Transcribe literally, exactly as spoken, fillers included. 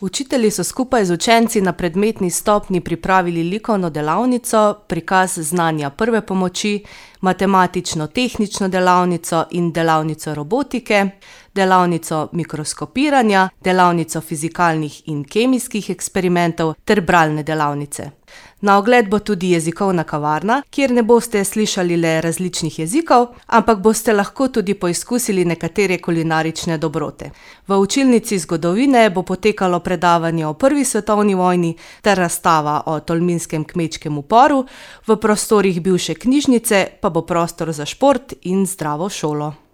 Učitelji so skupaj z učenci na predmetni stopnji pripravili likovno delavnico, prikaz znanja prve pomoči, matematično-tehnično delavnico in delavnico robotike, delavnico mikroskopiranja, delavnico fizikalnih in kemijskih eksperimentov ter bralne delavnice. Na ogled bo tudi jezikovna kavarna, kjer ne boste slišali le različnih jezikov, ampak boste lahko tudi poizkusili nekatere kulinarične dobrote. V učilnici zgodovine bo potekalo predavanje o prvi svetovni vojni ter razstava o tolminskem kmečkem uporu, v prostorih bivše knjižnice pa bo prostor za šport in zdravo šolo.